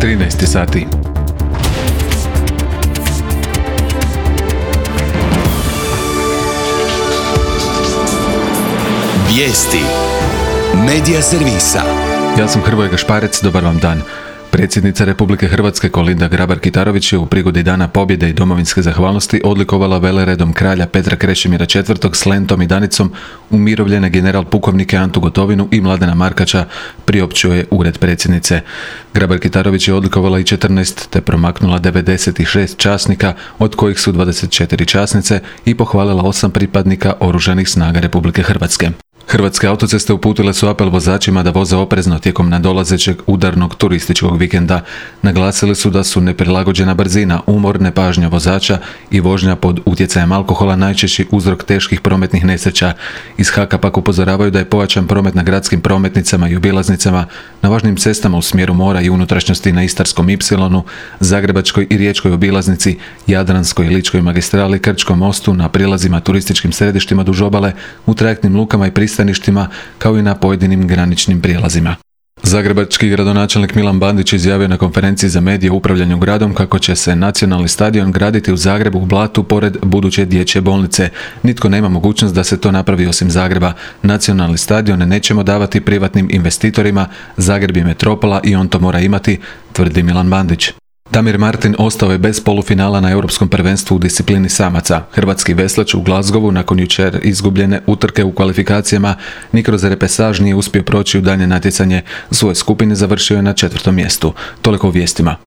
13 sati. Vijesti Medija servisa. Ja sam Hrvoje Gašparec, dobar vam dan. Predsjednica Republike Hrvatske Kolinda Grabar-Kitarović je u prigodi Dana pobjede i domovinske zahvalnosti odlikovala veleredom kralja Petra Krešimira IV s lentom i danicom umirovljene general pukovnike Antu Gotovinu i Mladena Markača, priopćio je ured predsjednice. Grabar-Kitarović je odlikovala i 14 te promaknula 96 časnika, od kojih su 24 časnice, i pohvalila 8 pripadnika Oružanih snaga Republike Hrvatske. Hrvatske autoceste uputile su apel vozačima da voze oprezno tijekom nadolazećeg udarnog turističkog vikenda. Naglasili su da su neprilagođena brzina, umor, nepažnja vozača i vožnja pod utjecajem alkohola najčešći uzrok teških prometnih nesreća. Iz HAK-a pak upozoravaju da je pojačan promet na gradskim prometnicama i obilaznicama, na važnim cestama u smjeru mora i unutrašnjosti na Istarskom Ipsilonu, Zagrebačkoj i Riječkoj obilaznici, Jadranskoj i Ličkoj magistrali, Krčkom mostu, na prilazima turističkim središtima duž obale, u trajektnim lukama i pristaništima, kao i na pojedinim graničnim prijelazima. Zagrebački gradonačelnik Milan Bandić izjavio na konferenciji za medije o upravljanju gradom kako će se nacionalni stadion graditi u Zagrebu u Blatu pored buduće dječje bolnice. Nitko nema mogućnost da se to napravi osim Zagreba. Nacionalni stadion nećemo davati privatnim investitorima, Zagreb je metropola i on to mora imati, tvrdi Milan Bandić. Damir Martin ostao je bez polufinala na Europskom prvenstvu u disciplini samaca. Hrvatski veslač u Glasgowu nakon jučer izgubljene utrke u kvalifikacijama ni kroz repesaž nije uspio proći u daljnje natjecanje. Svoje skupine završio je na 4. mjestu. Toliko o vijestima.